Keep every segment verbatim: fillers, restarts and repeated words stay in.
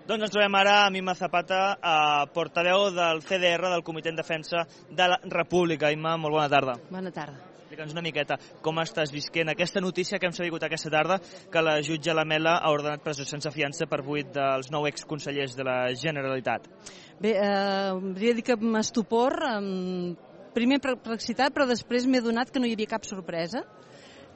Doncs ens trobem ara amb Imma Zapata, portaveu del C D R, del Comitè en Defensa de la República. Imma, molt bona tarda. Bona tarda. Explica'ns una miqueta com estàs visquent aquesta notícia que hem sabut aquesta tarda, que la jutge Lamela ha ordenat presó sense fiança per vuit dels nou exconsellers de la Generalitat. Bé, eh, hauria de dir que m'estupor, eh, primer perplexitat, però després m'he adonat que no hi havia cap sorpresa,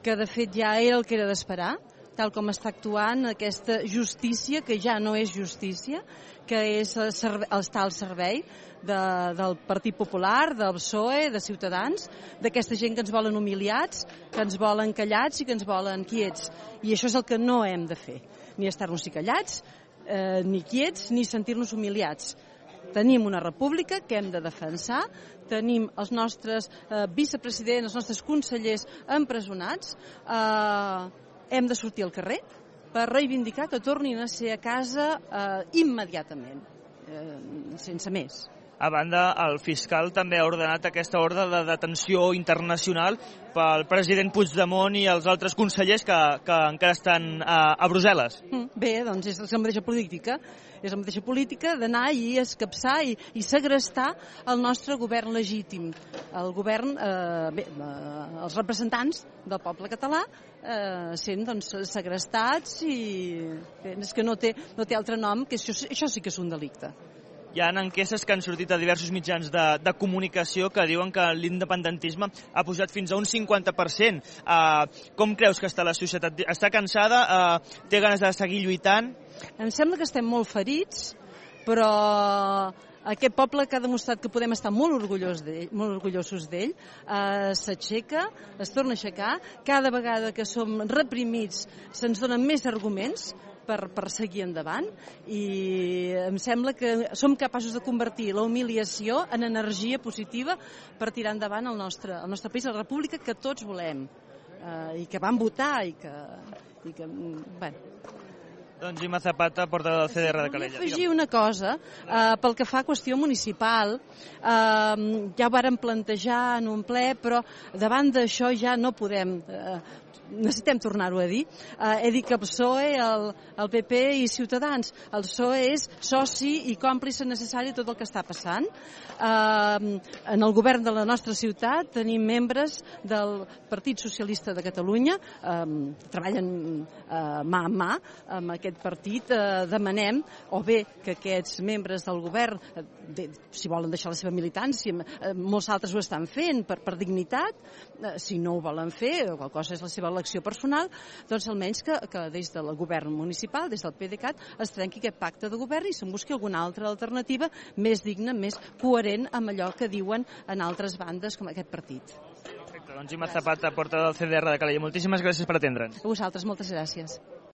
que de fet ja era el que era d'esperar, tal com està actuant aquesta justícia, que ja no és justícia, que és estar al servei de, del Partit Popular, del P S O E, de Ciutadans, d'aquesta gent que ens volen humiliats, que ens volen callats i que ens volen quiets. I això és el que no hem de fer, ni estar-nos callats, eh, ni quiets, ni sentir-nos humiliats. Tenim una república que hem de defensar, tenim els nostres eh, vicepresidents, els nostres consellers empresonats, eh, hem de sortir al carrer per reivindicar que tornin a ser a casa eh, immediatament, eh, sense més. A banda, el fiscal també ha ordenat aquesta ordre de detenció internacional pel president Puigdemont i els altres consellers que, que encara estan a, a Brussel·les. Bé, doncs és la mateixa política, és la mateixa política d'anar i escapçar i, i segrestar el nostre govern legítim, el govern, eh, bé, eh, els representants del poble català eh, sent doncs, segrestats i bé, és que no té, no té altre nom, que això, això sí que és un delicte. Hi ha enquestes que han sortit a diversos mitjans de, de comunicació que diuen que l'independentisme ha pujat fins a un cinquanta per cent. Uh, com creus que està la societat? Està cansada? Uh, té ganes de seguir lluitant? Em sembla que estem molt ferits, però aquest poble que ha demostrat que podem estar molt orgullosos d'ell, molt orgullosos d'ell, eh, s'aixeca, es torna a aixecar. Cada vegada que som reprimits se'ns donen més arguments per, per seguir endavant i em sembla que som capaços de convertir la humiliació en energia positiva per tirar endavant el nostre, el nostre país, la república que tots volem eh, i que vam votar i que, i que bueno. Doncs Imma Zapata, portaveu del C D R de Calella. Vull afegir una cosa, eh, pel que fa a qüestió municipal, eh, ja ho vàrem plantejar en un ple, però davant d'això ja no podem, eh, necessitem tornar-ho a dir. Eh, he dit que el P S O E, el, el P P i Ciutadans, el P S O E és soci i còmplice necessari de tot el que està passant. Eh, en el govern de la nostra ciutat tenim membres del Partit Socialista de Catalunya, eh, treballen eh, mà a mà amb aquest partit, eh, demanem o bé que aquests membres del govern, eh, de, si volen deixar la seva militància, eh, molts altres ho estan fent per, per dignitat, eh, si no ho volen fer, o qualsevol cosa és la seva elecció personal, doncs almenys que, que des del govern municipal, des del PDeCAT, es trenqui aquest pacte de govern i se'n busqui alguna altra alternativa més digna, més coherent amb allò que diuen en altres bandes com aquest partit. Perfecte, doncs Imma Zapata, portaveu del C D R de Calella. Moltíssimes gràcies per atendre'ns. A vosaltres, moltes gràcies.